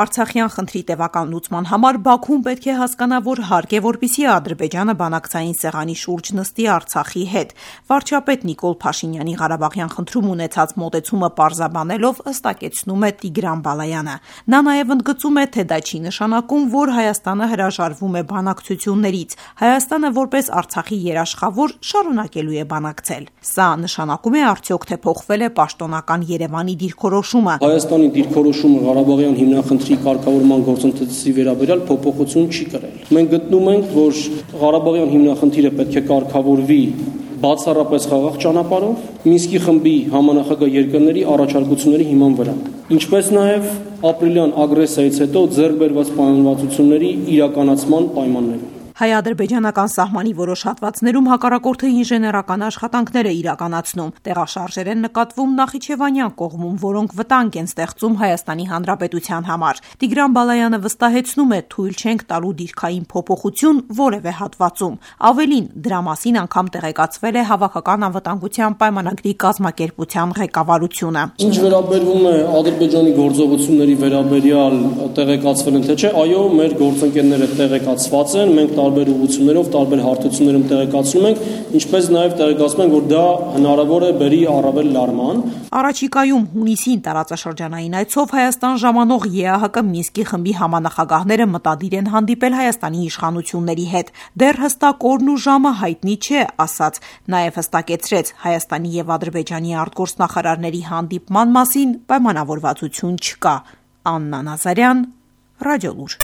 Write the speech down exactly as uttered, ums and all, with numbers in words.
Արցախյան խնդրի տևական լուծման համար Բաքուն պետք է հասկանա, որ հարկ է, որպեսզի Ադրբեջանը բանակցային սեղանի շուրջ նստի Արցախի հետ։ Վարչապետ Նիկոլ Փաշինյանի Ղարաբաղյան խնդրում ունեցած մոտեցումը պարզաբանելով ըստակեցնում է Տիգրան Բալայանը։ Նա նաև ընդգծում է, թե դա չի նշանակում, որ Հայաստանը հրաժարվում է բանակցություններից։ Հայաստանը որպես Արցախի երաշխավոր շարունակելու է բանակցել։ Սա նշանակում է արդյոք, թե փոխվել է պաշտոնական Երևանի դիրքորոշումը։ Հայաստանի դիրքորոշումը Ղարաբաղյան հիմնախնդրի կարգավորման գործընթացի վերաբերյալ փոփոխություն չի կրել։ Մենք գտնում ենք, որ Ղարաբաղյան հիմնախնդիրը պետք է կարգավորվի բացառապես խաղաղ ճանապարհով, Մինսկի խմբի համանախագահ երկրների առաջարկությունների հիման վրա, ինչպես նաև ապրիլյան ագրեսիայից հետո ձեռք բերված պայմանավորվածությունների իրականացման պայմաններում։ Հայ-ադրբեջանական սահմանի որոշ հատվածներում հակառակորդը ինժեներական աշխատանքներ է իրականացնում։ Տեղաշարժեր են նկատվում Նախիջևանյան կողմում, որոնք վտանգ են ստեղծում Հայաստանի Հանրապետության համար։ Տիգրան Բալայանը վստահեցնում է, թույլ չենք տալու դիրքային փոփոխություն որևէ հատվածում։ Ավելին, դրա մասին անգամ տեղեկացվել է Հավաքական անվտանգության պայմանագրի կազմակերպության ղեկավարությունը։ Ինչ վերաբերում է Ադրբեջանի գործողությունների վերաբերյալ տեղեկացվել են, թե չէ, այո, մեր գործընկերները տեղեկացված են, մենք տարբեր ուղղություններով, տարբեր հարթություններում տեղեկացնում ենք, ինչպես նաև տեղեկացնում ենք, որ դա հնարավոր է բերի առավել լարման։ Առաջիկայում հունիսին տարածաշրջանային այցով Հայաստան ժամանող ԵԱՀԿ Մինսկի խմբի համանախագահները մտադիր են հանդիպել Հայաստանի իշխանությունների հետ։ Դեռ հստակ օրն ու ժամը հայտնի չէ, ասաց, նաև հստակեցրեց Հայաստանի եւ Ադրբեջանի արտգործնախարարների հանդիպման մասին պայմանավորվածություն չկա։ Աննա Նազարյան, Ռադիոլուր։